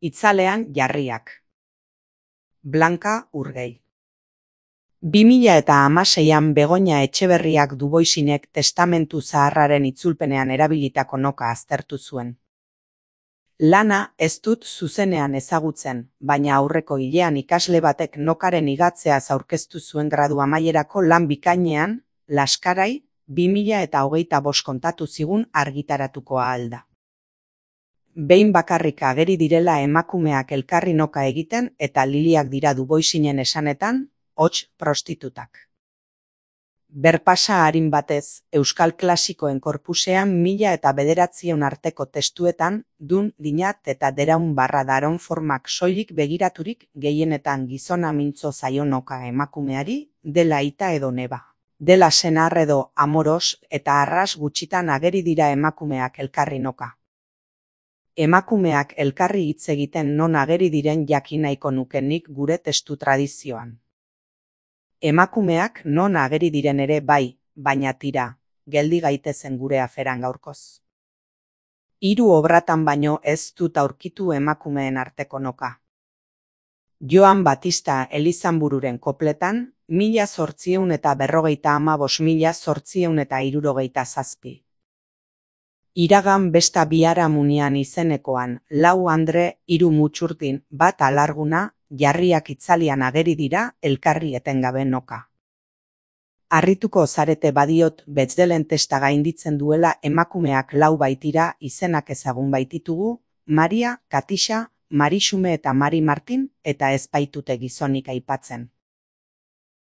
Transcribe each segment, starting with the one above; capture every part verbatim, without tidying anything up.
Itzalean jarriak. Blanka Urgei. bi mila hamaseian Begoña Etxeberriak Duboisinek testamentu zaharraren itzulpenean erabilitako noka aztertu zuen. Lana ez dut zuzenean ezagutzen, baina aurreko hilean ikasle batek nokaren igatzeaz aurkeztu zuen gradu amaierako lan bikainean, Laskarai, bi mila hogeita bost kontatu zigun argitaratukoa alda. Behin bakarrik ageri direla emakumeak elkarri noka egiten eta liliak dira Duboisinen esanetan, hots prostitutak. Berpasa arin batez, euskal klasikoen korpusean mila eta bederatziehun arteko testuetan, dun, dinat eta deraun barra daron formak soilik begiraturik gehienetan gizona mintzo zaio noka emakumeari, dela aita edo neba. Dela senar edo amoros eta arras gutxitan ageri dira emakumeak elkarri noka. Emakumeak elkarri hitz egiten non ageri diren jakin nahiko nukenik gure testu tradizioan. Emakumeak non ageri diren ere bai, baina tira, geldi gaitezen gure aferan gaurkoz. Hiru obratan baino ez dut aurkitu emakumeen arteko noka. Joan Batista Elizanbururen kopletan, mila zortziehun eta berrogeita hamabost mila zortziehun eta hirurogeita zazpi. Iragan besta biharamunian izenekoan, lau andre, hiru mutxurdin, bat alarguna, jarriak itzalian ageri dira elkarri etengabe noka. Harrituko zarete badiot Betzelen testa gainditzen duela emakumeak lau baitira izenak ezagun baititugu, Maria, Katixa, Marixume eta Mari Martin eta ez baitute gizonik aipatzen.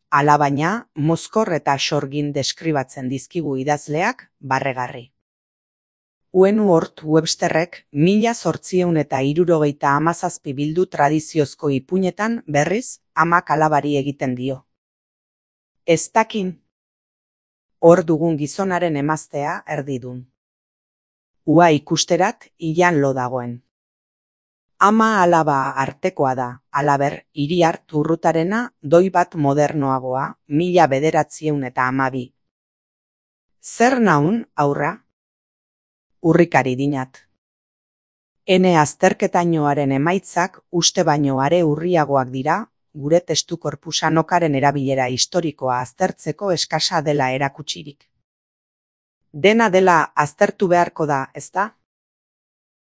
Alabaina, mozkor eta sorgin deskribatzen dizkigu idazleak, barregarri. Uenu Hort Websterrek mila zortziehun eta hirurogeita hamazazpi bildu tradiziozko ipuinetan berriz amak alabari egiten dio. Ez dakin. Hor dugun gizonaren emaztea erdidun. Ua ikusterat ilan lo dagoen. Ama alaba artekoa da, alaber, Iriar Turrutarena doi bat modernoagoa, mila bederatziehun eta hamabi. Zer naun, aurra? Urrikari dinat. Ene azterketainoaren emaitzak uste baino are urriagoak dira, gure testu korpusa nokaren erabilera historikoa aztertzeko eskasa dela erakutsirik. Dena dela aztertu beharko da, ezta?